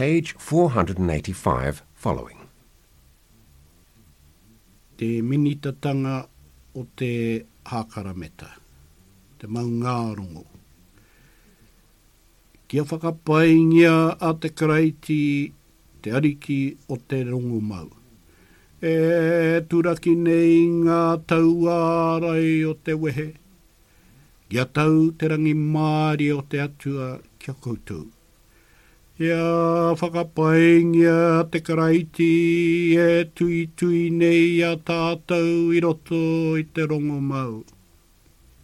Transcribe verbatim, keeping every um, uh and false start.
Page four hundred and eighty-five following. Te minitatanga o te hākarameta, te maungārongo. Kia whakapaingia a te Karaiti, te Ariki o te rongomau. E turaki nei ngā tauārai o te wehe, kia tau te rangimārie o te Atua kia koutou. Kia whakapaingia te Karaiti e tuitui nei a tātou i roto i te rongomau.